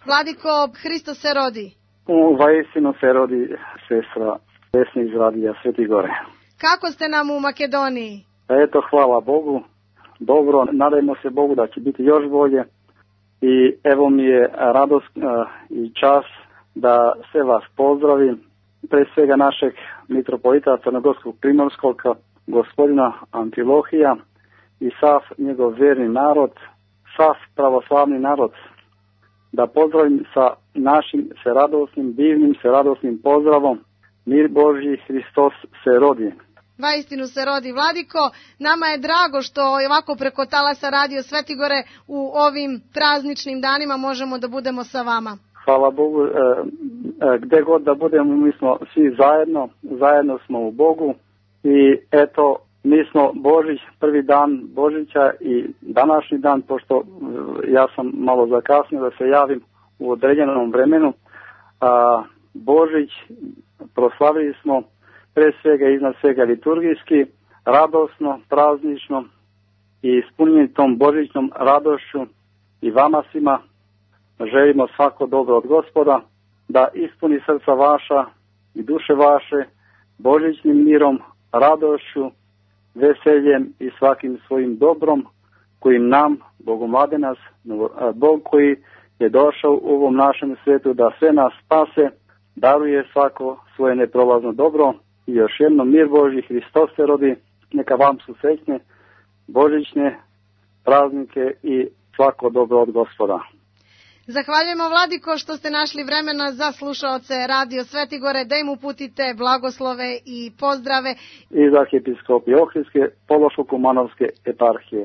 Vladiko, Hristos se rodi. Vaistinu se rodi, sestra Vesna iz radija Sveti Gore. Kako ste nam u Makedoniji? Eto, hvala Bogu. Dobro, nadajmo se Bogu da će biti još bolje. I evo mi je radost i čas da sve vas pozdravim. Pre svega našeg mitropolita Crnogorskog Primorskog, gospodina Amfilohija i sav njegov verni narod, sav pravoslavni narod. Da pozdravim sa našim seradosnim, divnim seradosnim pozdravom. Mir Božji, Hristos se rodi. Vaistinu se rodi. Vladiko, nama je drago što ovako preko talasa Radio Svetigore u ovim prazničnim danima možemo da budemo sa vama. Hvala Bogu, gde god da budemo, mi smo svi zajedno smo u Bogu i eto, mi smo Božić, prvi dan Božića i današnji dan, pošto ja sam malo zakasnio da se javim u određenom vremenu, Božić proslavili smo pre svega i iznad svega liturgijski, radosno, praznično i ispunjeni tom božićnom radošću i vama svima želimo svako dobro od Gospoda, da ispuni srca vaša i duše vaše božićnim mirom, radošću, veseljem i svakim svojim dobrom kojim nam, Bogomlade nas, Bog koji je došao u ovom našem svetu da sve nas spase, daruje svako svoje neprolazno dobro i još jednom mir Božji, Hristos se rodi, neka vam su srećne božićne praznike i svako dobro od Gospoda. Zahvaljujemo, Vladiko, što ste našli vremena za slušaoce Radio Svetigore, da im uputite blagoslove i pozdrave. Iz arhijepiskopije Ohridske, Pološko-Kumanovske eparhije.